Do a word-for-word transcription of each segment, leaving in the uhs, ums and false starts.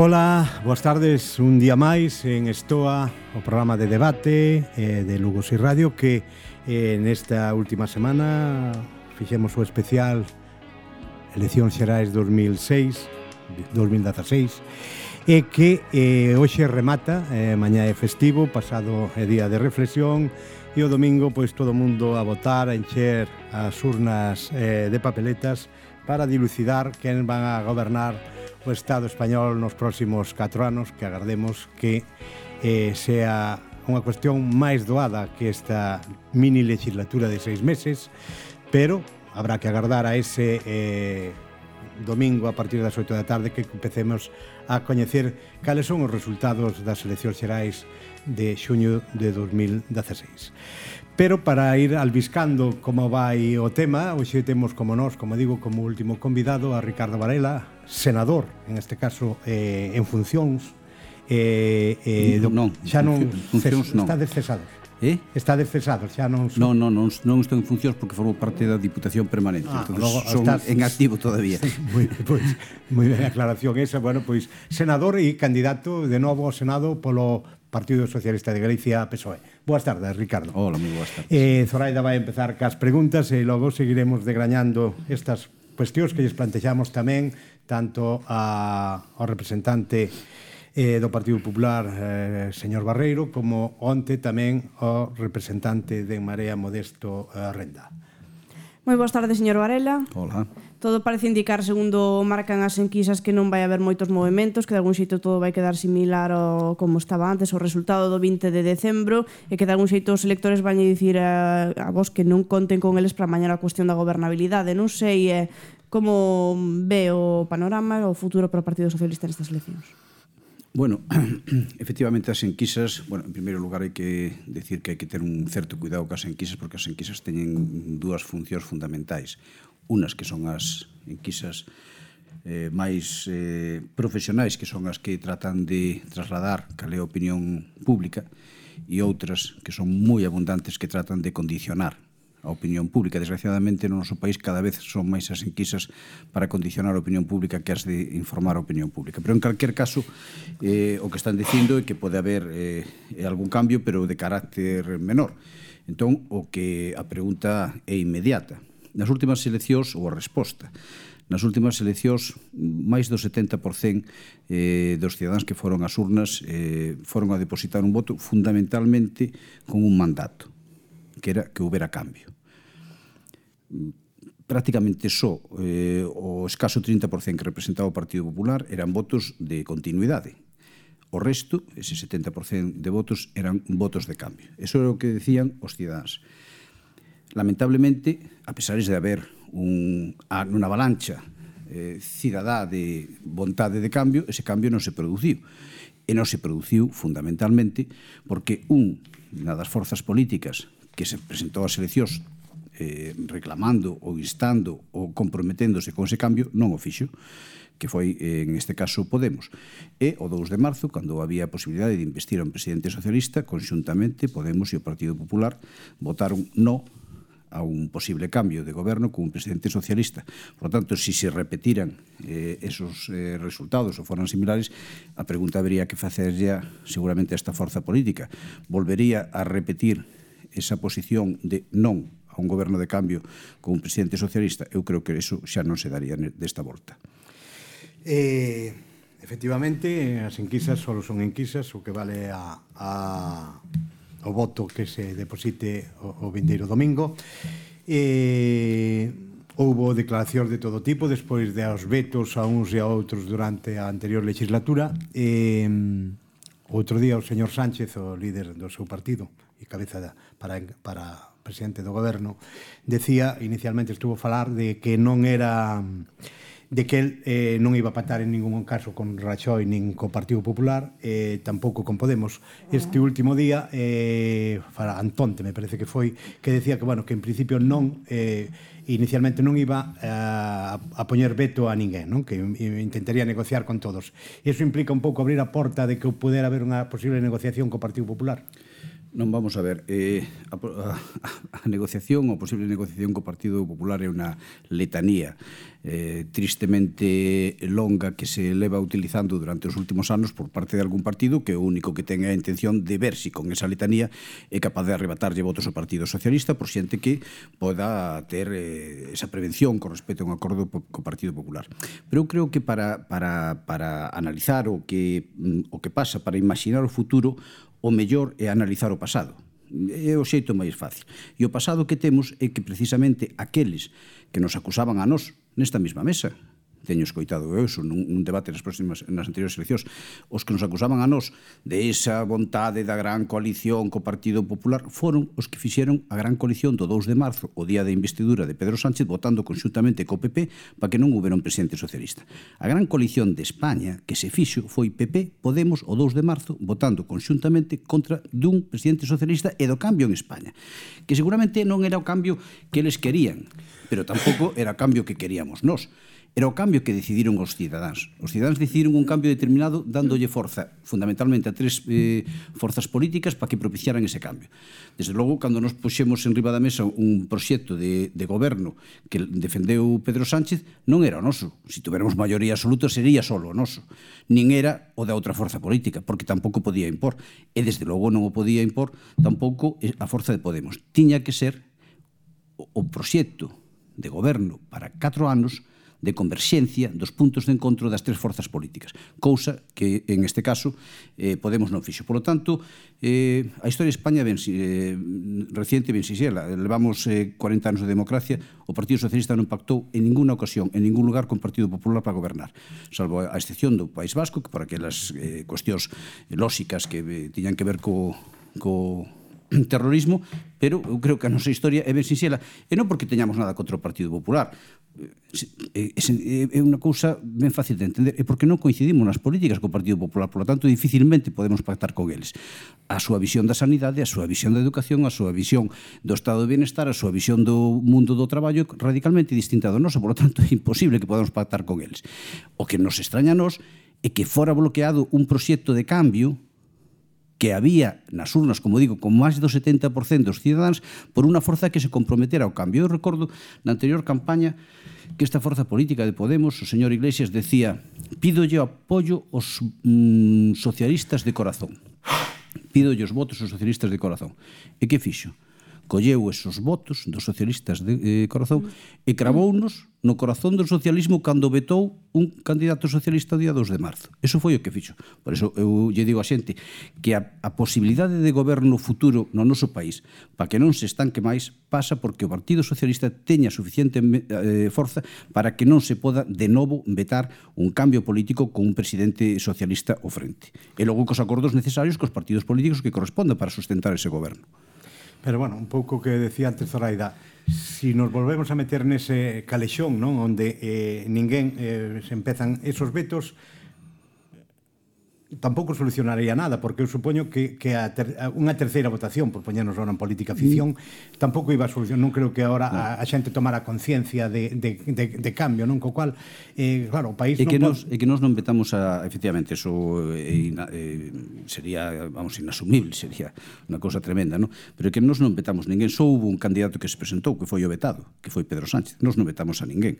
Ola, boas tardes, un día máis en Estoa, o programa de debate eh, de Lugo Si Radio, que eh, nesta última semana fixemos o especial Eleccións Xerais dos mil seis, dos mil dezaseis, e que eh, hoxe remata, eh, mañá é festivo, pasado é día de reflexión, e o domingo pois todo o mundo a votar, a encher as urnas eh, de papeletas para dilucidar quen van a gobernar o Estado español nos próximos catro anos, que agardemos que eh, sea unha cuestión máis doada que esta mini legislatura de seis meses, pero habrá que agardar a ese eh, domingo a partir das oito da tarde que empecemos a coñecer cales son os resultados das eleccións xerais de xuño de dos mil dezaseis. Pero para ir albiscando como vai o tema, hoxe temos como nós, como digo, como último convidado a Ricardo Varela, senador, en este caso eh, en funcións, eh, eh, do, non, xa non, funcións non. Está descesado. Eh? Está descesado, xa non... Non, non, non, non estou en funcións porque formo parte da Diputación Permanente, ah, entón logo, son estás... en activo todavía. Sí, moi, pois, moi ben aclaración esa, bueno, pois senador e candidato de novo ao Senado polo Partido Socialista de Galicia, P S O E. Boas tardes, Ricardo. Hola, moi boas tardes. Eh, Zoraida vai empezar cas preguntas e logo seguiremos degrañando estas cuestións que lles plantexamos tamén tanto a, ao representante eh, do Partido Popular, eh, señor Barreiro, como onte tamén ao representante de Marea, Modesto eh, Renda. Moi boas tardes, señor Varela. Hola. Todo parece indicar, segundo marcan as enquisas, que non vai haber moitos movementos, que de algún xeito todo vai quedar similar ao como estaba antes, o resultado do vinte de decembro, e que de algún xeito os electores van a dicir a, a vos que non conten con eles para mañar a cuestión da gobernabilidade. Non sei eh, como ve o panorama, o futuro para o Partido Socialista nestas eleccións. Bueno, efectivamente as enquisas, bueno, en primeiro lugar hai que decir que hai que ter un certo cuidado cas enquisas porque as enquisas teñen dúas funcións fundamentais. Unas que son as enquisas eh, máis eh, profesionais, que son as que tratan de trasladar cal é a opinión pública, e outras que son moi abundantes que tratan de condicionar a opinión pública. Desgraciadamente, no noso país cada vez son máis as enquisas para condicionar a opinión pública que as de informar a opinión pública. Pero, en calquer caso, eh, o que están dicindo é que pode haber eh, algún cambio, pero de carácter menor. Entón, o que a pregunta é inmediata. Nas últimas eleccións, ou a resposta, nas últimas eleccións, máis do setenta por cento eh, dos cidadáns que foron ás urnas eh, foron a depositar un voto fundamentalmente con un mandato, que era que houbera cambio. Prácticamente só eh, o escaso trinta por cento que representaba o Partido Popular eran votos de continuidade. O resto, ese setenta por cento de votos, eran votos de cambio. Eso é o que decían os cidadáns. Lamentablemente, a pesar de haber un, unha avalancha eh, cidadá de vontade de cambio, ese cambio non se produciu. E non se produciu fundamentalmente porque un, unha das forzas políticas que se presentou ás eleccións eh, reclamando ou instando ou comprometéndose con ese cambio, non o fixo, que foi, en este caso, Podemos. E o dous de marzo, cando había a posibilidade de investir a un presidente socialista, conxuntamente Podemos e o Partido Popular votaron no a un posible cambio de goberno con un presidente socialista. Por lo tanto, si se repetiran eh, esos eh, resultados ou foran similares, a pregunta habría que facer ya seguramente a esta forza política. Volvería a repetir esa posición de non a un goberno de cambio con un presidente socialista? Eu creo que eso xa non se daría desta volta. Eh, efectivamente, as enquisas só son enquisas, o que vale a... a o voto que se deposite o, o vindeiro domingo. E houbo declaracións de todo tipo despois de aos vetos a uns e a outros durante a anterior legislatura. E outro día o señor Sánchez, o líder do seu partido e cabeza da, para, para presidente do goberno, decía, inicialmente estuvo a falar de que non era... de que el eh, non iba a pactar en ningún caso con Rajoy nin co Partido Popular, eh, tampouco con Podemos. Este último día, eh, para Antonte, me parece que foi, que decía que, bueno, que en principio non, eh, inicialmente non iba eh, a, a poñer veto a ninguén, non? Que intentaría negociar con todos. Iso implica un pouco abrir a porta de que pudera haber unha posible negociación co Partido Popular? Non, vamos a ver, eh, a, a, negociación, a posible negociación co Partido Popular é unha letanía eh, tristemente longa que se leva utilizando durante os últimos anos por parte de algún partido que o único que ten é a intención de ver si con esa letanía é capaz de arrebatarlle votos ao Partido Socialista por xente que poda ter eh, esa prevención con respecto a un acordo co Partido Popular. Pero eu creo que para, para, para analizar o que, o que pasa, para imaginar o futuro, o mellor é analizar o pasado. É o xeito máis fácil. E o pasado que temos é que precisamente aqueles que nos acusaban a nós nesta mesma mesa, teño escoitado eu eso nun debate nas próximas nas anteriores eleccións, os que nos acusaban a nós de esa vontade da gran coalición co Partido Popular foron os que fixeron a gran coalición do dous de marzo, o día de investidura de Pedro Sánchez, votando conxuntamente co P P para que non houbera un presidente socialista. A gran coalición de España que se fixo foi P P, Podemos o dous de marzo votando conxuntamente contra dun presidente socialista e do cambio en España, que seguramente non era o cambio que eles querían, pero tampouco era o cambio que queríamos nós. Era o cambio que decidiron os cidadáns. Os cidadáns decidiron un cambio determinado dándolle forza, fundamentalmente a tres eh, forzas políticas para que propiciaran ese cambio. Desde logo, cando nos puxemos en riba da mesa un proxecto de, de goberno que defendeu Pedro Sánchez, non era o noso. Se tuveramos maioría absoluta, sería solo o noso. Nin era o da outra forza política, porque tampouco podía impor. E desde logo non o podía impor tampouco a forza de Podemos. Tiña que ser o, o proxecto de goberno para catro anos de converxencia dos puntos de encontro das tres forzas políticas, cousa que, en este caso, eh, Podemos non fixo. Por lo tanto, eh, a historia de España ben, eh, reciente ben sinxela. Levamos eh, cuarenta anos de democracia, o Partido Socialista non pactou en ninguna ocasión, en ningún lugar, con o Partido Popular para gobernar, salvo a excepción do País Vasco, que por aquelas eh, cuestións lóxicas que eh, tiñan que ver co, co terrorismo, pero eu creo que a nosa historia é ben sinxela, e non porque teñamos nada contra o Partido Popular, é unha cousa ben fácil de entender, é porque non coincidimos nas políticas co Partido Popular, por lo tanto dificilmente podemos pactar con eles. A súa visión da sanidade, a súa visión da educación, a súa visión do estado de bienestar, a súa visión do mundo do traballo radicalmente distinta do noso, por lo tanto é imposible que podamos pactar con eles. O que nos extraña a nós é que fora bloqueado un proxecto de cambio que había nas urnas, como digo, con máis do setenta por cento dos cidadáns por unha forza que se comprometera ao cambio. Eu recordo na anterior campaña que esta forza política de Podemos, o señor Iglesias, decía: pídolle apoio aos mm, socialistas de corazón. Pídolle os votos aos socialistas de corazón. E que fixo? Colleu esos votos dos socialistas de eh, corazón e cravounos no corazón do socialismo cando vetou un candidato socialista o día dous de marzo. Eso foi o que fixo. Por eso eu lle digo a xente que a, a posibilidade de goberno futuro no noso país para que non se estanque máis pasa porque o Partido Socialista teña suficiente eh, forza para que non se poda de novo vetar un cambio político con un presidente socialista ao frente. E logo cos acordos necesarios cos partidos políticos que correspondan para sustentar ese goberno. Pero, bueno, un pouco que decía antes Zoraida, si nos volvemos a meter nese calexón, non, onde eh, ninguén eh, se empezan esos vetos, tampouco solucionaría nada, porque eu supoño que, que a ter, a unha terceira votación, por poñernos ahora en política ficción, mm. tampouco iba a solucionar. Non creo que ahora no. a, a xente tomara conciencia de, de, de, de cambio, non? Co cual, eh, claro, o país e non que pode... nos, e que nos non vetamos a, efectivamente, eso eh, eh, sería, vamos, inasumible, sería unha cousa tremenda, non? Pero que nos non vetamos ninguén, só hubo un candidato que se presentou, que foi o vetado, que foi Pedro Sánchez. Nos non vetamos a ninguén.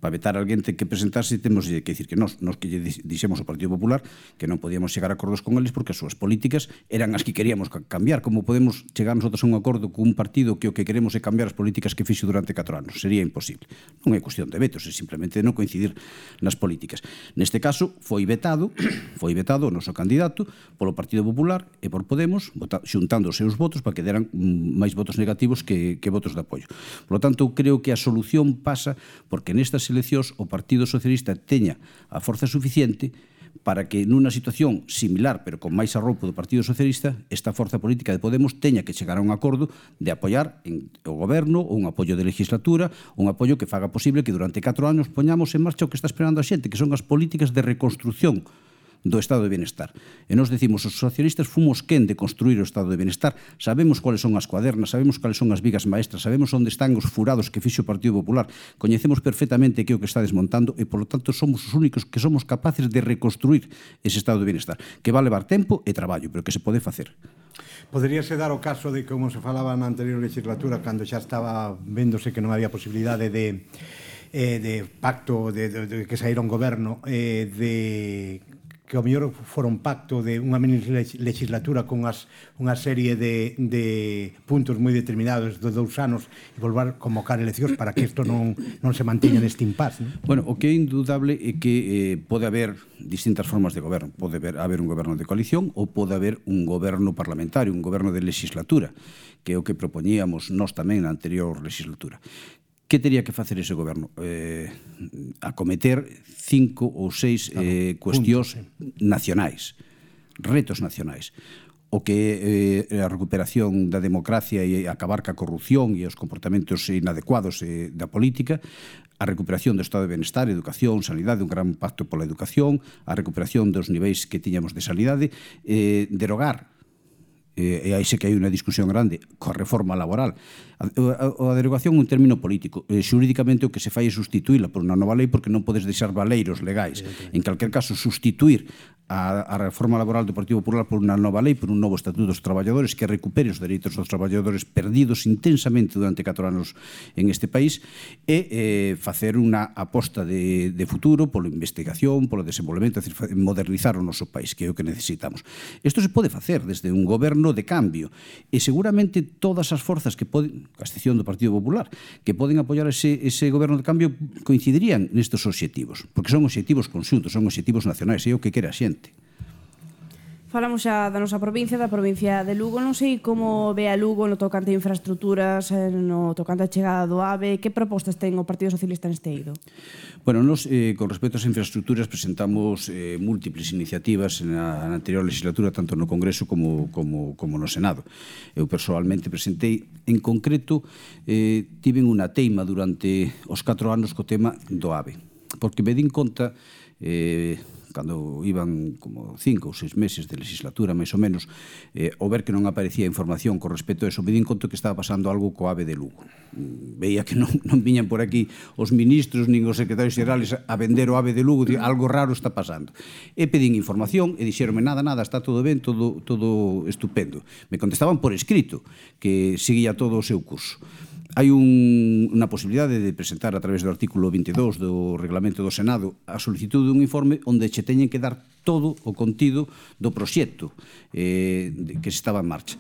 Para vetar a alguén ten que presentarse, temos que dicir que nos, nos que lle dixemos ao Partido Popular que non podíamos chegar a acordos con eles porque as súas políticas eran as que queríamos cambiar. Como podemos chegar nosotros a un acordo con un partido que o que queremos é cambiar as políticas que fixo durante catro anos? Sería imposible. Non é cuestión de vetos, é simplemente non coincidir nas políticas. Neste caso, foi vetado, foi vetado o noso candidato polo Partido Popular e por Podemos, xuntando os seus votos para que deran máis votos negativos que, que votos de apoio. Por lo tanto, creo que a solución pasa porque nestas eleccións o Partido Socialista teña a forza suficiente para que nunha situación similar, pero con máis arroupo do Partido Socialista, esta forza política de Podemos teña que chegar a un acordo de apoiar en, o goberno, ou un apoio de legislatura, un apoio que faga posible que durante catro anos poñamos en marcha o que está esperando a xente, que son as políticas de reconstrucción do estado de bienestar. E nos decimos, os socialistas fomos quen de construir o estado de bienestar, sabemos cuáles son as cuadernas, sabemos cuáles son as vigas maestras, sabemos onde están os furados que fixo o Partido Popular, coñecemos perfectamente que é o que está desmontando e, polo tanto, somos os únicos que somos capaces de reconstruir ese estado de bienestar, que va a levar tempo e traballo, pero que se pode facer. Poderíase dar o caso de, como se falaba na anterior legislatura, cando xa estaba vendose que non había posibilidade de Eh, de pacto de, de, de que saíra un goberno eh, de que ao mellor fora un pacto de unha mini legislatura con as, unha serie de, de puntos moi determinados de dous anos e volver a convocar eleccións para que isto non, non se mantiña neste impasse, non? Bueno, o que é indudable é que eh, pode haber distintas formas de goberno. Pode haber, haber un goberno de coalición ou pode haber un goberno parlamentario, un goberno de legislatura, que é o que propoñíamos nós tamén na anterior legislatura. Que teria que facer ese goberno? Eh, acometer cinco ou seis eh, cuestións nacionais, retos nacionais. O que é eh, a recuperación da democracia e acabar ca corrupción e os comportamentos inadecuados eh, da política, a recuperación do estado de bienestar, educación, sanidade, un gran pacto pola educación, a recuperación dos niveis que tiñamos de sanidade, eh, derogar, e aí sei que hai unha discusión grande coa reforma laboral. A, a, a derogación é un término político. Eh, xurídicamente o que se fai é sustituíla por unha nova lei porque non podes deixar valeiros legais. En calquer caso, sustituir a, a reforma laboral do Partido Popular por unha nova lei, por un novo estatuto dos traballadores que recupere os dereitos dos traballadores perdidos intensamente durante catro anos en este país e eh, facer unha aposta de, de futuro polo investigación, polo desenvolvemento, é dicir, modernizar o noso país, que é o que necesitamos. Isto se pode facer desde un goberno de cambio e seguramente todas as forzas que poden, a excepción do Partido Popular, que poden apoiar ese, ese goberno de cambio coincidirían nestes obxectivos, porque son obxectivos conxuntos, son obxectivos nacionais, é o que quere a xente. Falamos xa da nosa provincia, da provincia de Lugo. Non sei como ve a Lugo no tocante a infraestructuras, no tocante a chegada do AVE. Que propostas ten o Partido Socialista neste eido? Bueno, nos, eh, con respecto ás infraestructuras, presentamos eh, múltiples iniciativas na, na anterior legislatura, tanto no Congreso como, como, como no Senado. Eu personalmente presentei, en concreto, eh, tiven unha teima durante os catro anos co tema do AVE, porque me din conta... Eh, cando iban como cinco ou seis meses de legislatura, máis ou menos, eh, ao ver que non aparecía información con respecto a eso, me din conto que estaba pasando algo co AVE de Lugo. Veía que non, non viñan por aquí os ministros nin os secretarios xerales a vender o AVE de Lugo, algo raro está pasando. E pedín información e dixeronme nada, nada, está todo ben, todo, todo estupendo. Me contestaban por escrito que seguía todo o seu curso. Hai un, unha posibilidade de presentar a través do artículo vinte e dous do Reglamento do Senado a solicitud dun informe onde che teñen que dar todo o contido do proxecto eh, que se estaba en marcha.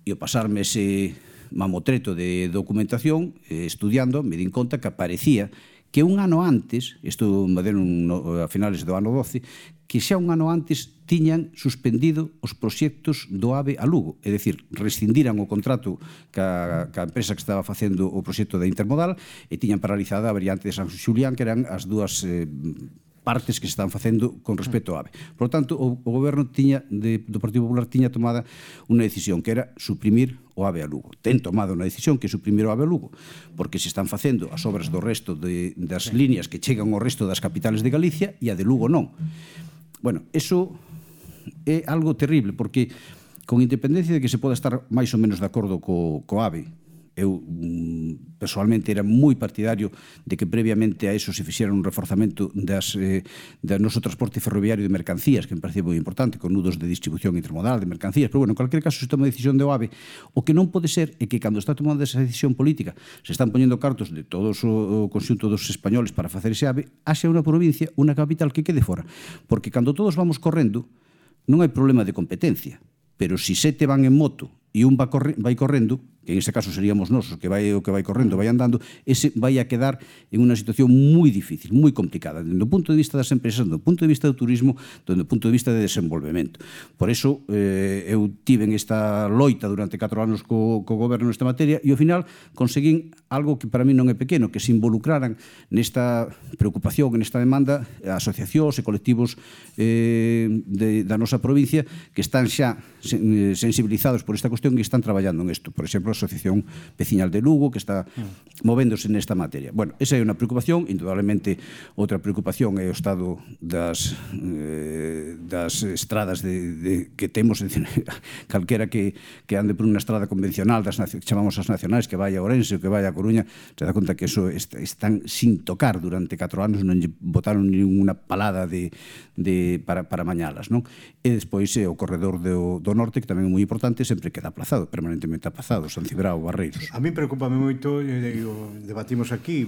E ao pasarme ese mamotreto de documentación, eh, estudiando, me din conta que aparecía que un ano antes, isto me deron no, a finales do ano doce, que xa un ano antes tiñan suspendido os proxectos do AVE a Lugo. É dicir, rescindiran o contrato ca, ca empresa que estaba facendo o proxecto da Intermodal e tiñan paralizada a variante de San Xulián, que eran as dúas eh, partes que se están facendo con respecto ao AVE. Por lo tanto, o, o goberno tiña de, do Partido Popular tiña tomada unha decisión que era suprimir o AVE a Lugo. Ten tomado unha decisión que é suprimir o AVE a Lugo, porque se están facendo as obras do resto de, das líneas que chegan ao resto das capitales de Galicia e a de Lugo non. Bueno, eso é algo terrible, porque con independencia de que se poda estar máis ou menos de acordo co, co AVE, eu personalmente era moi partidario de que previamente a eso se fixera un reforzamento das, eh, do noso transporte ferroviario de mercancías, que me parece moi importante, con nudos de distribución intermodal de mercancías, pero bueno, en cualquier caso se toma a decisión do AVE. O que non pode ser é que cando está tomando esa decisión política se están poñendo cartos de todos o conxunto dos españoles para facer ese AVE, haxa unha provincia, unha capital que quede fora, porque cando todos vamos correndo non hai problema de competencia, pero si sete van en moto e un va, corre, vai correndo, que en ese caso seríamos nosos, que vai o que vai correndo, vai andando, ese vai a quedar en unha situación moi difícil, moi complicada, dende o punto de vista das empresas, dende o punto de vista do turismo, dende o punto de vista de desenvolvemento. Por eso, eh, eu tive esta loita durante catro anos co, co goberno nesta materia e ao final conseguín algo que para mí non é pequeno, que se involucraran nesta preocupación, nesta demanda, asociacións e colectivos eh, de, da nosa provincia que están xa sensibilizados por esta cuestión e están traballando en isto. Por exemplo, exemplo, a Asociación Veciñal de Lugo, que está movéndose nesta materia. Bueno, esa é unha preocupación. Indudablemente, outra preocupación é o estado das, eh, das estradas de, de, que temos, calquera que, que ande por unha estrada convencional, das que chamamos as nacionais, que vai a Ourense ou que vai a Coruña, se dá conta que eso est, están sin tocar durante catro anos, non lle botaron ninguna palada de, de, para, para mañalas, non? E despois é o corredor do, do norte, que tamén é moi importante, sempre queda aplazado, permanentemente aplazado, San Cibrao, Barreiros. A mí preocupame moito, digo, debatimos aquí,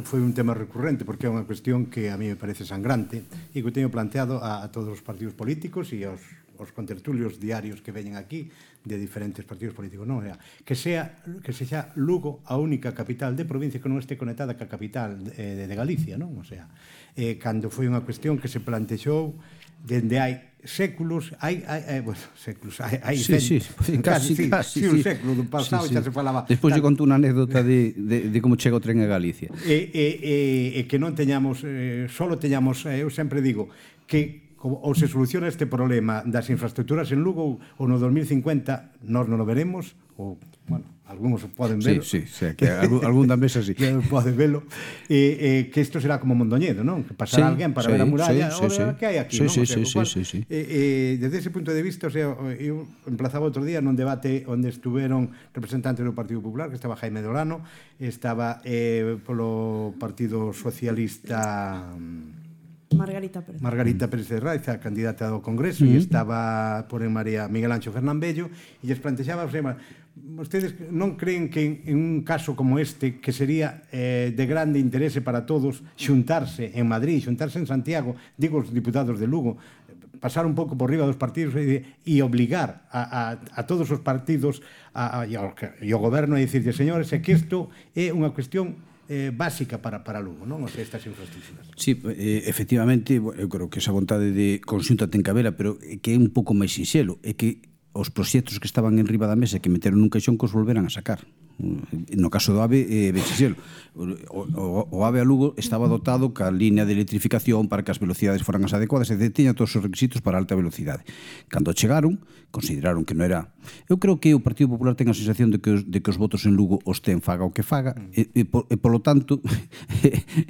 foi un tema recurrente, porque é unha cuestión que a mí me parece sangrante, e que teño planteado a, a todos os partidos políticos e aos, aos contertulios diarios que veñen aquí, de diferentes partidos políticos, non? Que sea, que sexa Lugo a única capital de provincia que non este conectada ca capital de, de Galicia, non? O sea, eh, cando foi unha cuestión que se plantexou dende hai séculos, hai, hai, hai bueno, séculos, hai, hai sí, sí, casi, casi, sí, casi, sí, un século do pasado, sí, sí. Xa se falaba. Despois lle conto unha anécdota de, de, de como chega o tren a Galicia. E, e, e, e que non teñamos, eh, solo teñamos, eh, eu sempre digo, que ou se soluciona este problema das infraestructuras en Lugo ou no dos mil cincuenta nós non o veremos, ou, bueno, algúns poden verlo. Sí, sí, sí, que algún, algún da mesa sí. Que poden verlo. E, eh, que isto será como Mondoñedo, non? Que pasará sí, alguén para sí, ver a muralla, sí, sí, sí. que hai aquí, sí, non? Sí, o sea, sí, cual, sí, sí, sí. Eh, eh, desde ese punto de vista, o sea, eu emplazaba outro día nun debate onde estuveron representantes do Partido Popular, que estaba Jaime Dolano, estaba eh, polo Partido Socialista... Margarita Pérez. Margarita Pérez de Raiza, candidata do Congreso, e uh -huh. estaba por en María Miguel Ancho Fernán Bello, e lles plantexaba, o sea, vostedes non creen que en un caso como este, que sería eh, de grande interese para todos xuntarse en Madrid, xuntarse en Santiago, digo os diputados de Lugo, pasar un pouco por riba dos partidos e, e obligar a, a, a todos os partidos a, a, e, ao, e ao goberno a dicirlle, señores, é que isto é unha cuestión eh, básica para, para Lugo, non? O sea, estas infraestructuras. Sí, eh, efectivamente, eu creo que esa vontade de conxunta ten que habela, pero que é un pouco máis sinxelo, é que os proxectos que estaban en riba da mesa que meteron nun caixón que os volveran a sacar. No caso do AVE, eh, vexeselo, o, o, o AVE a Lugo estaba dotado ca línea de electrificación para que as velocidades foran as adecuadas e teña todos os requisitos para alta velocidade. Cando chegaron, consideraron que non era... Eu creo que o Partido Popular ten a sensación de que os, de que os votos en Lugo os ten faga o que faga, e, e, por, e polo tanto,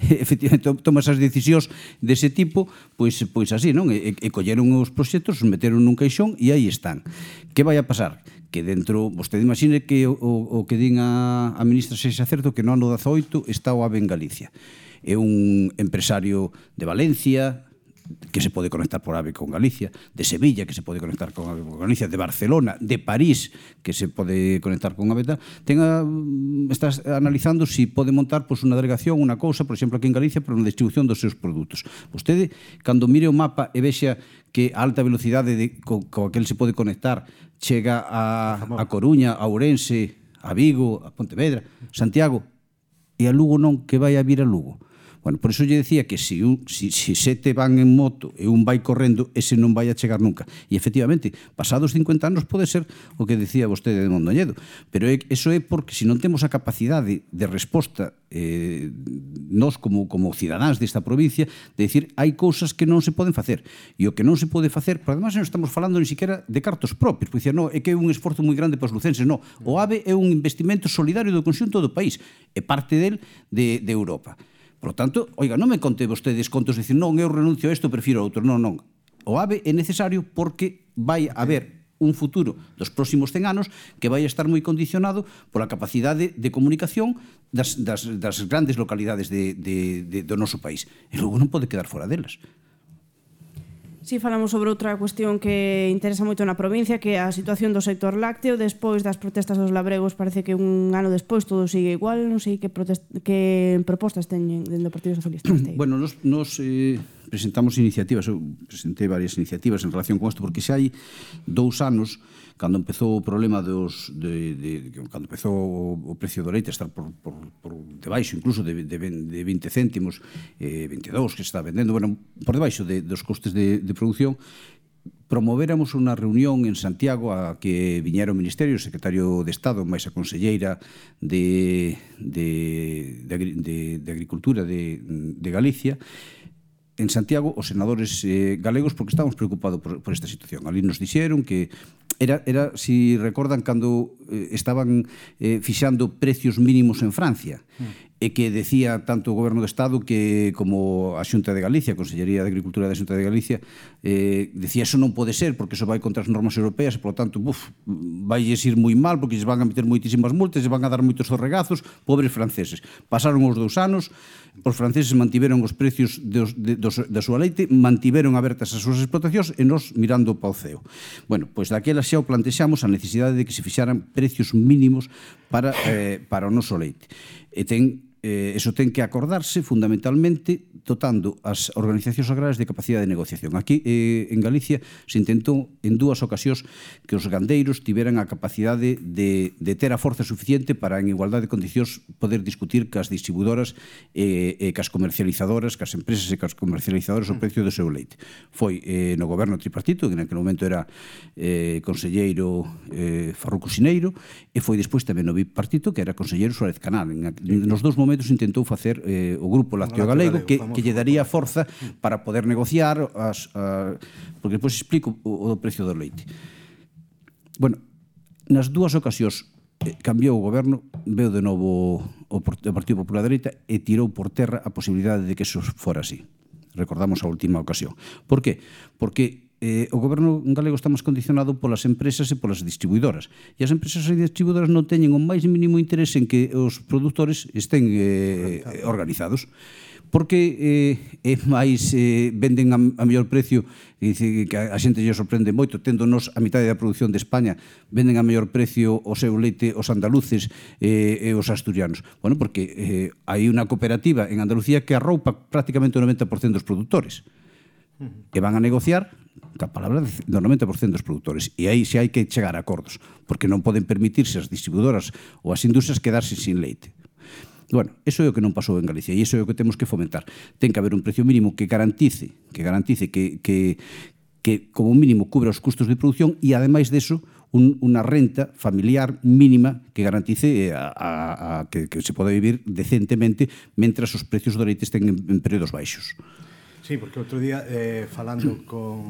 efectivamente, toma esas decisións dese tipo, pois, pois así, non? E, e colleron os proxectos, os meteron nun caixón e aí están. Que vai a pasar? Que dentro, vostede imagine que o, o que din a, a ministra sexa certo, que no ano dezaoito está o AVE en Galicia. É un empresario de Valencia que se pode conectar por AVE con Galicia, de Sevilla que se pode conectar con AVE con Galicia, de Barcelona, de París que se pode conectar con AVE. Tenga, estás analizando si pode montar pois, unha delegación, unha cousa, por exemplo, aquí en Galicia, para unha distribución dos seus produtos. Vostede, cando mire o mapa e vexa que a alta velocidade de, co, co aquel se pode conectar chega a, a Coruña, a Ourense, a Vigo, a Pontevedra, Santiago, e a Lugo non, que vai a vir a Lugo. Bueno, por iso lle decía que se un, si, si sete van en moto e un vai correndo, ese non vai a chegar nunca. E efectivamente, pasados cincuenta anos pode ser o que decía vostede de Mondoñedo, pero é, eso é porque se non temos a capacidade de resposta eh, nós como, como cidadáns desta provincia, de decir, hai cousas que non se poden facer. E o que non se pode facer, por además non estamos falando ni siquiera de cartos propios, porque dicir, no, é que é un esforzo moi grande para os lucenses, no. O AVE é un investimento solidario do conxunto do país, é parte del de, de Europa. Por lo tanto, oiga, non me conte vostedes contos de dicir, non, eu renuncio a isto, prefiro a outro. Non, non. O AVE é necesario porque vai haber un futuro dos próximos cen anos que vai estar moi condicionado pola capacidade de comunicación das, das, das grandes localidades de, de, de, do noso país. E logo non pode quedar fora delas. Si, falamos sobre outra cuestión que interesa moito na provincia, que é a situación do sector lácteo. Despois das protestas dos labregos, parece que un ano despois todo sigue igual. Non sei que, protest... que propostas teñen dentro do Partido Socialista. Bueno, nos, nos eh, presentamos iniciativas, eu presentei varias iniciativas en relación con isto, porque xa hai dous anos, cando empezou o problema dos de, de, cando empezou o precio do leite a estar por, por, por debaixo incluso de, de, de vinte céntimos, eh, veintidós que se está vendendo, bueno, por debaixo de, dos costes de, de producción, promovéramos unha reunión en Santiago a que viñera o Ministerio, o Secretario de Estado, máis a Conselleira de, de, de, de, de Agricultura de, de Galicia, en Santiago os senadores eh, galegos, porque estábamos preocupados por, por esta situación. Ali nos dixeron que Era, era, si recordan, cando eh, estaban eh, fixando precios mínimos en Francia, mm. e que decía tanto o Goberno do Estado que como a Xunta de Galicia, a Consellería de Agricultura da Xunta de Galicia, eh, decía eso non pode ser porque eso vai contra as normas europeas e, polo tanto, buf, vailles ir moi mal porque lles van a meter moitísimas multas, lles van a dar moitos zorregazos, pobres franceses. Pasaron os dous anos, os franceses mantiveron os precios dos, de, dos, da súa leite, mantiveron abertas as súas explotacións e nos mirando para o ceo. Bueno, pois daquela xa o plantexamos a necesidade de que se fixaran precios mínimos para, eh, para o noso leite. E ten Eh, eso ten que acordarse fundamentalmente dotando as organizacións agrarias de capacidade de negociación. Aquí eh, en Galicia se intentou en dúas ocasións que os gandeiros tiveran a capacidade de, de ter a forza suficiente para en igualdade de condicións poder discutir cas distribuidoras e eh, eh, cas comercializadoras, cas empresas e cas comercializadoras o precio do seu leite. Foi eh, no goberno tripartito, que naquele momento era eh, conselleiro eh, Farruco Sineiro, e foi despois tamén no bipartito, que era conselleiro Suárez Canal. En, nos dous momentos intentou facer eh, o Grupo Lácteo Galego, que, que lle daría forza para poder negociar as, a, porque depois explico o, o precio do leite. Bueno, nas dúas ocasións eh, cambiou o goberno, veu de novo o, o Partido Popular da Dereita e tirou por terra a posibilidade de que eso fora así. Recordamos a última ocasión. Por qué? Porque eh, o goberno galego está máis condicionado polas empresas e polas distribuidoras. E as empresas e distribuidoras non teñen o máis mínimo interés en que os produtores estén eh, organizados. Porque eh, é máis eh, venden a, a mellor precio, e dice que a, a xente lle sorprende moito, tendonos a mitad da produción de España, venden a mellor precio o seu leite os andaluces eh, e os asturianos. Bueno, porque eh, hai unha cooperativa en Andalucía que arroupa prácticamente o noventa por cento dos produtores. Que van a negociar ca palabra do noventa por cento dos produtores. E aí xe hai que chegar a acordos, porque non poden permitirse as distribuidoras ou as industrias quedarse sin leite. Bueno, eso é o que non pasou en Galicia e iso é o que temos que fomentar. Ten que haber un precio mínimo que garantice, que garantice que, que, que como mínimo cubra os custos de produción e, ademais deso, un, unha renta familiar mínima que garantice a, a, a que, que se pode vivir decentemente mentras os precios do leite estén en, en períodos baixos. Sí, porque outro día, eh, falando con,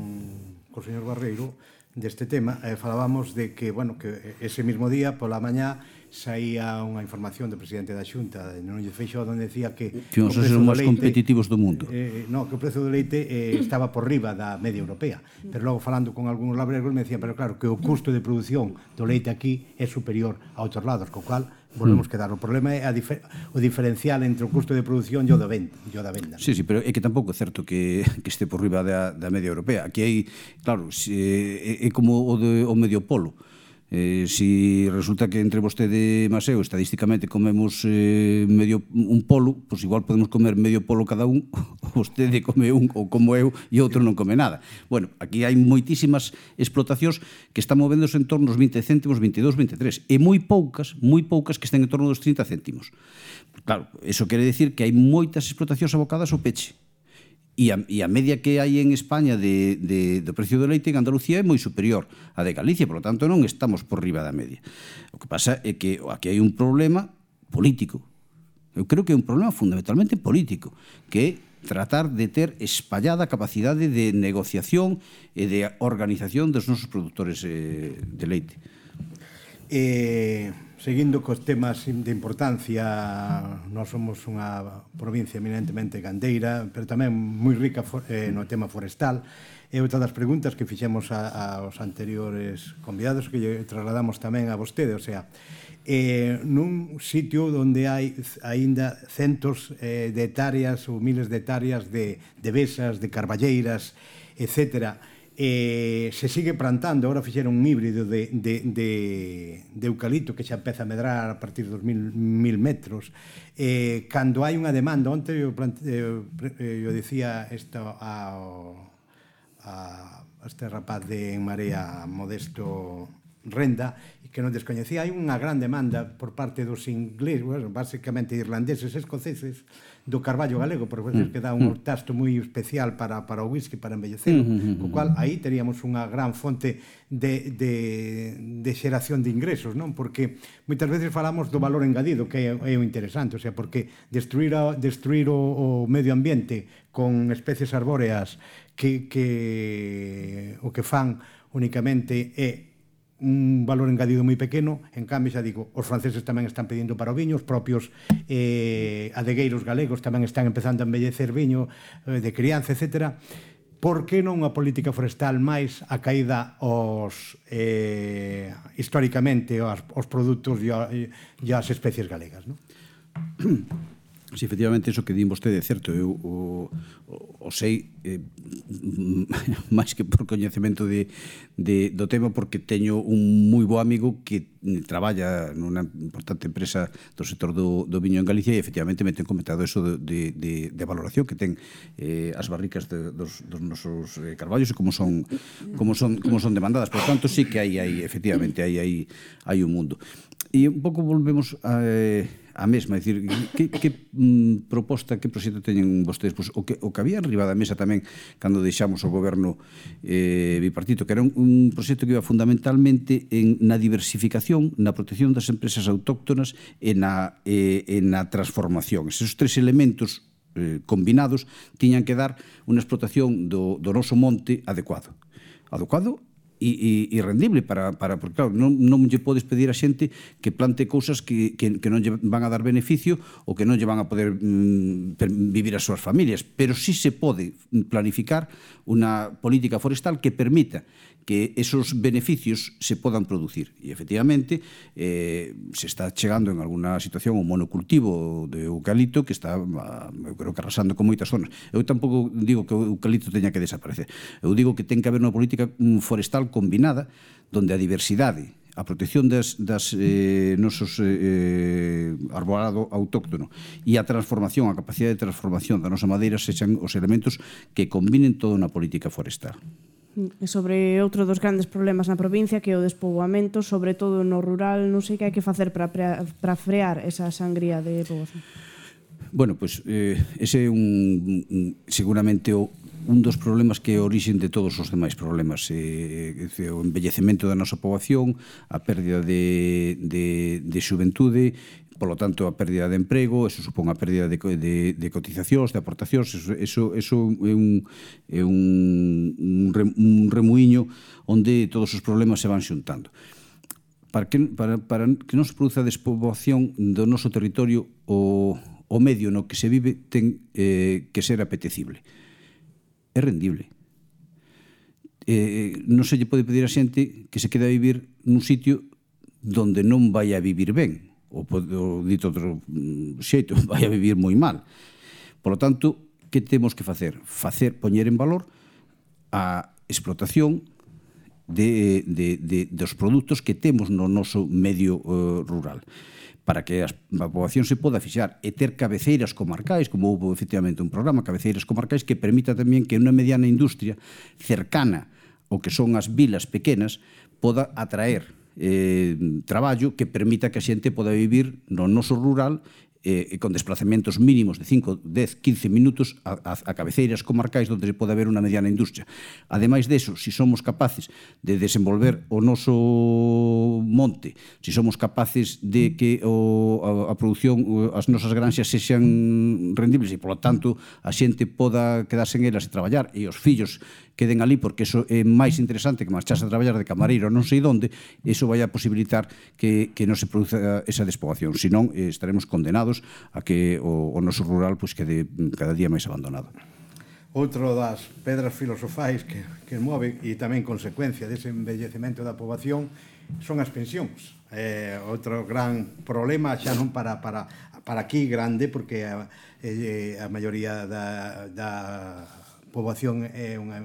con o señor Barreiro deste tema, eh, falábamos de que, bueno, que ese mismo día, pola mañá, saía unha información do presidente da Xunta, de Núñez Feixóo, onde decía que que os ser os máis competitivos do mundo. Eh, no, que o prezo do leite eh, estaba por riba da media europea. Pero logo, falando con algúns labregos, me decían, pero claro, que o custo de produción do leite aquí é superior a outros lados, co cual volvemos mm. quedar. O problema é a difer o diferencial entre o custo de produción e o da venda. O da venda, sí, sí, pero é que tampouco é certo que, que este por riba da, da media europea. Aquí hai, claro, se, é, é como o, de, o medio polo. Eh, si resulta que entre vostede e Maseo estadísticamente comemos eh, medio un polo, pois igual podemos comer medio polo cada un, vostede come un ou como eu e outro non come nada. Bueno, aquí hai moitísimas explotacións que están movéndose en torno aos vinte céntimos, veintidós, veintitrés, e moi poucas, moi poucas que estén en torno dos trinta céntimos. Claro, eso quere decir que hai moitas explotacións abocadas ao peche. E a, e a media que hai en España de, de, do precio do leite en Andalucía é moi superior á de Galicia, por lo tanto non estamos por riba da media. O que pasa é que aquí hai un problema político. Eu creo que é un problema fundamentalmente político, que é tratar de ter espallada a capacidade de negociación e de organización dos nosos produtores eh, de leite. Eh, seguindo cos temas de importancia, nós somos unha provincia eminentemente gandeira, pero tamén moi rica eh, no tema forestal. E outra das preguntas que fixemos a, aos anteriores convidados que lle trasladamos tamén a vostede, o sea, eh, nun sitio onde hai aínda centos eh, de hectáreas ou miles de hectáreas de, de besas, de carballeiras, etcétera, eh, se sigue plantando, agora fixeron un híbrido de, de, de, de eucalipto que xa empeza a medrar a partir dos mil, mil metros. Eh, cando hai unha demanda, onte eu, plante, eu, eu dicía isto ao, a, a este rapaz de En Marea, Modesto Renda, que non descoñecía, hai unha gran demanda por parte dos ingleses, bueno, basicamente irlandeses, escoceses, do carballo galego, porque mm. que dá un tasto moi especial para, para o whisky, para embellecelo, mm -hmm. co cual aí teríamos unha gran fonte de, de, de xeración de ingresos, non? Porque moitas veces falamos do valor engadido, que é, é o interesante, o sea, porque destruir, a, destruir o, o medio ambiente con especies arbóreas que, que o que fan únicamente é un valor engadido moi pequeno. En cambio, xa digo, os franceses tamén están pedindo para o viño, os propios eh, adegueiros galegos tamén están empezando a embellecer viño eh, de crianza, etcétera. Por que non unha política forestal máis acaída aos, eh, históricamente aos, aos produtos e as especies galegas, non? Si, efectivamente, iso que din vostede é certo. Eu o, o, o sei eh, máis que por coñecemento de, de, do tema, porque teño un moi bo amigo que traballa nunha importante empresa do sector do, do viño en Galicia, e efectivamente me ten comentado eso de, de, de, de valoración que ten eh, as barricas de, dos, dos nosos eh, carballos e como son, como son, como son demandadas. Por tanto, sí que hai, hai efectivamente, hai, hai, hai un mundo. E un pouco volvemos a, a mesma, é dicir, que, que mm, proposta, que proxecto teñen vostedes? Pois, o, que, o que había arriba da mesa tamén cando deixamos o goberno eh, bipartito, que era un, un proxecto que iba fundamentalmente en, na diversificación, na protección das empresas autóctonas e na, eh, e na transformación. Esos tres elementos eh, combinados tiñan que dar unha explotación do, do noso monte adecuado. Adecuado E, e, e rendible para, para porque claro, non, non lle podes pedir a xente que plante cousas que, que, que non lle van a dar beneficio ou que non lle van a poder mm, vivir as súas familias, pero sí se pode planificar unha política forestal que permita que esos beneficios se podan producir. E, efectivamente, eh, se está chegando en alguna situación un monocultivo de eucalipto que está, eu creo que arrasando con moitas zonas. Eu tampouco digo que o eucalipto teña que desaparecer. Eu digo que ten que haber unha política forestal combinada, donde a diversidade, a protección das, das eh, nosos eh, arborado autóctono e a transformación, a capacidade de transformación da nosa madeira sexan os elementos que combinen toda unha política forestal. E sobre outro dos grandes problemas na provincia, que é o despoboamento, sobre todo no rural, non sei que hai que facer para, para frear esa sangría de poboación. Bueno, pois pues, eh, ese é un, un seguramente o un dos problemas que é a orixen de todos os demais problemas, eh, o envellecemento da nosa poboación, a pérdida de, de, de xuventude, polo tanto a pérdida de emprego, eso supón a pérdida de, de, de cotizacións, de aportacións, eso, eso, eso é un, é un, un, un remuiño onde todos os problemas se van xuntando. Para que, para, para que non se produza a despoboación do noso territorio, o, o medio no que se vive ten eh, que ser apetecible. É rendible. Eh, non se lle pode pedir a xente que se quede a vivir nun sitio donde non vai a vivir ben, ou, ou dito outro xeito, vai a vivir moi mal. Por lo tanto, que temos que facer? Facer, poñer en valor a explotación de, de, de, dos produtos que temos no noso medio uh, rural, para que a poboación se poda fixar e ter cabeceiras comarcais, como houve efectivamente un programa, cabeceiras comarcais, que permita tamén que unha mediana industria cercana ao que son as vilas pequenas poda atraer eh, traballo que permita que a xente poda vivir no noso rural eh, con desplazamentos mínimos de cinco, dez, quince minutos a, a, a cabeceiras comarcais onde se pode haber unha mediana industria. Ademais deso, se si somos capaces de desenvolver o noso monte, se si somos capaces de que o, a, a produción, as nosas granxas sexan rendibles e, polo tanto, a xente poda quedarse en elas e traballar e os fillos queden ali, porque eso é máis interesante que marcharse a traballar de camareiro non sei onde, eso vai a posibilitar que, que non se produza esa despoboación, senón eh, estaremos condenados a que o, o noso rural pues, quede cada día máis abandonado. Outro das pedras filosofais que, que move e tamén consecuencia dese envellecemento da poboación son as pensións. Eh, outro gran problema, xa non para, para, para aquí grande, porque a, eh, a maioría da, da poboación é unha,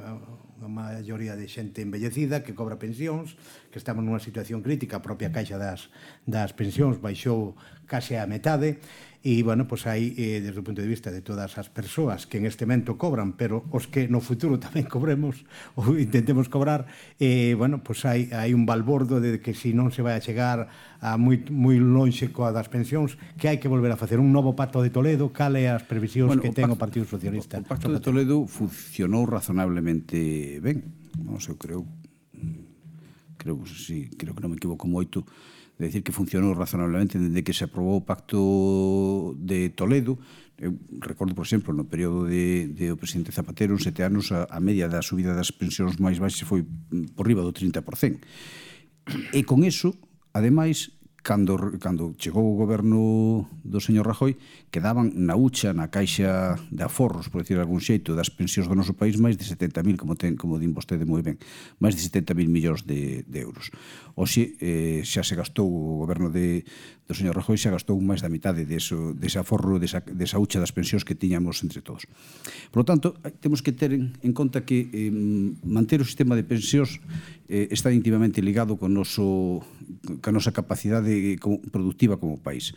unha maioría de xente envellecida que cobra pensións, que estamos nunha situación crítica, a propia caixa das, das pensións baixou case a metade, e, bueno, pois aí, eh, desde o punto de vista de todas as persoas que en este momento cobran, pero os que no futuro tamén cobremos, ou intentemos cobrar, eh, bueno, pois hai, hai un balbordo de que se non se vai a chegar a moi, moi lonxe coa das pensións, que hai que volver a facer un novo Pacto de Toledo. Cal é as previsións bueno, que ten o Partido Socialista? O Pacto de Toledo funcionou razonablemente ben. Non sei, creo, creo, sí, creo que non me equivoco moito de decir que funcionou razonablemente desde que se aprobou o Pacto de Toledo. Eu recordo, por exemplo, no período de, de o presidente Zapatero, en sete anos, a, a media da subida das pensións máis baixas foi por riba do trinta por cento. E con eso, ademais, cando, cando chegou o goberno do señor Rajoy, quedaban na hucha, na caixa de aforros, por decir algún xeito, das pensións do noso país, máis de setenta mil, como, ten, como din vostede moi ben, máis de setenta mil millóns de, de euros. Oxe, eh, xa se gastou o goberno de, do señor Rajoy, xa gastou máis da mitade deso, dese aforro, desa, desa hucha das pensións que tiñamos entre todos. Por lo tanto, temos que ter en, en conta que eh, manter o sistema de pensións eh, está íntimamente ligado con noso, con a nosa capacidade productiva como país.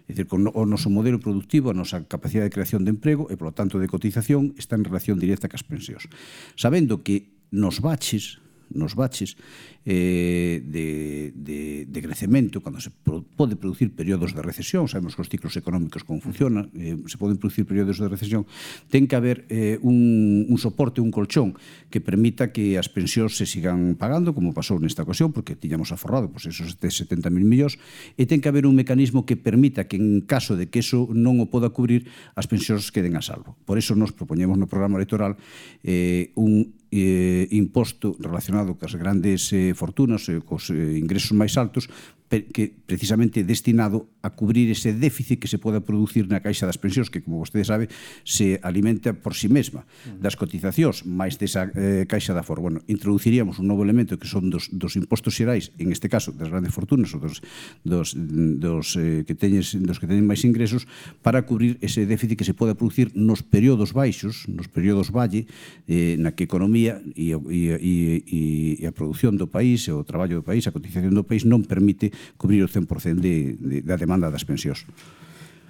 É dicir, con o noso modelo productivo, a nosa capacidade de creación de emprego e, polo tanto, de cotización está en relación directa cas pensións. Sabendo que nos baches, nos baches eh, de, de, de crecemento, cando se pro, pode producir períodos de recesión, sabemos que os ciclos económicos como funcionan, eh, se poden producir períodos de recesión, ten que haber eh, un, un soporte, un colchón que permita que as pensións se sigan pagando, como pasou nesta ocasión, porque tiñamos aforrado pues, esos setenta mil millóns, e ten que haber un mecanismo que permita que en caso de que eso non o poda cubrir, as pensións queden a salvo. Por eso nos propoñemos no programa electoral eh, un eh, imposto relacionado cas grandes eh, fortunas e eh, cos eh, ingresos máis altos, que precisamente destinado a cubrir ese déficit que se poda producir na caixa das pensións, que, como vostede sabe, se alimenta por si sí mesma das cotizacións máis desa eh, caixa de aforro. Bueno, introduciríamos un novo elemento que son dos, dos impostos xerais, en este caso das grandes fortunas ou dos, dos, dos, eh, que teñes, dos que teñen máis ingresos, para cubrir ese déficit que se poda producir nos períodos baixos, nos períodos valle, eh, na que a economía e, e, e, e a produción do país, e o traballo do país, a cotización do país non permite cubrir o cen por cento de, de, da demanda das pensións.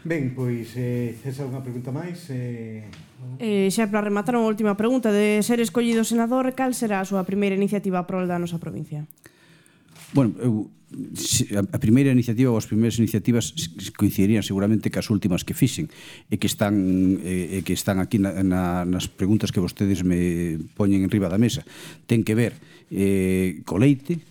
Ben, pois, eh, esa é unha pregunta máis. Eh... Eh, xa para rematar unha última pregunta. De ser escollido senador, cal será a súa primeira iniciativa a prol da nosa provincia? Bueno, eu, a primeira iniciativa ou as primeiras iniciativas coincidirían seguramente cas últimas que fixen e que están, e que están aquí na, na, nas preguntas que vostedes me poñen en riba da mesa. Ten que ver eh, co leite,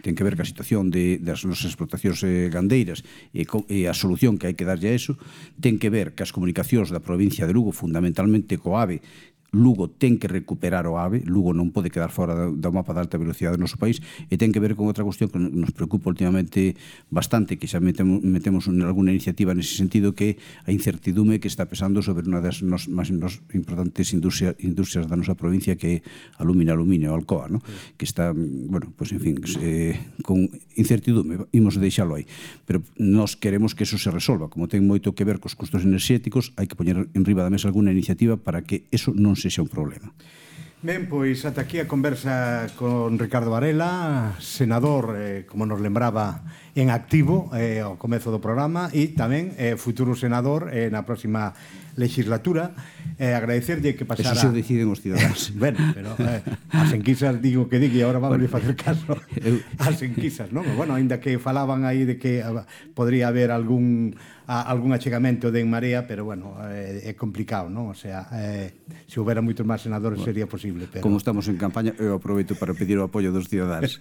ten que ver ca situación de, das nosas explotacións eh, gandeiras e, co, e a solución que hai que darlle a eso, ten que ver cas comunicacións da provincia de Lugo, fundamentalmente co AVE. Lugo ten que recuperar o AVE, Lugo non pode quedar fora do mapa de alta velocidade do noso país, e ten que ver con outra cuestión que nos preocupa últimamente bastante, que xa metemos, metemos en alguna iniciativa nese sentido, que a incertidume que está pesando sobre unha das nos, máis nos importantes industria, industrias da nosa provincia, que é a Lumina Aluminio, Alcoa, ¿no? Sí. Que está, bueno, pues en fin, eh, con incertidume, imos deixalo aí. Pero nós queremos que eso se resolva, como ten moito que ver cos custos enerxéticos, hai que poñer en riba da mesa alguna iniciativa para que eso non sexa un problema. Ben, pois ata aquí a conversa con Ricardo Varela, senador, eh, como nos lembraba, en activo eh, ao comezo do programa, e tamén eh, futuro senador eh, na próxima legislatura. Eh, agradecerlle que pasara... Eso se deciden os ciudadanos. Bueno, pero eh, as enquisas digo que digo e agora vamos a facer caso as enquisas, non? Bueno, ainda que falaban aí de que uh, podría haber algún a, algún achegamento de En Marea, pero bueno, eh, é complicado, non? O sea, eh, se houbera moitos máis senadores bueno, sería posible, pero... Como estamos en campaña, eu aproveito para pedir o apoio dos ciudadanos.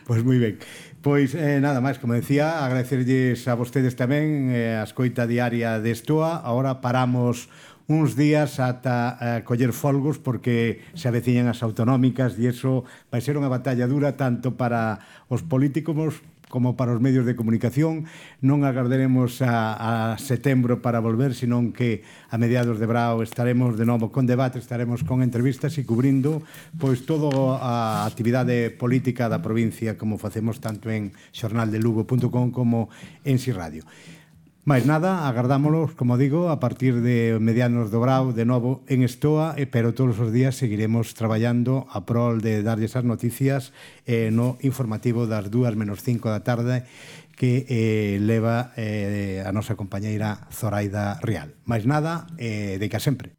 Pois pues moi ben. Pois eh, nada máis, como decía, agradecerlles a vostedes tamén eh, a escoita diaria de Estoa. Agora paramos uns días ata eh, coller folgos, porque se aveciñan as autonómicas e iso vai ser unha batalla dura tanto para os políticos como para os medios de comunicación. Non agardaremos a, a setembro para volver, senón que a mediados de brao estaremos de novo con debate, estaremos con entrevistas e cubrindo pois toda a actividade política da provincia, como facemos tanto en xornal de lugo punto com como en Si Radio. Mais nada, agardámolos, como digo, a partir de medianos do brao, de novo en Estoa, pero todos os días seguiremos traballando a prol de darlle esas noticias eh, no informativo das dúas menos cinco da tarde que eh, leva eh, a nosa compañeira Zoraida Rial. Mais nada, eh, de que sempre.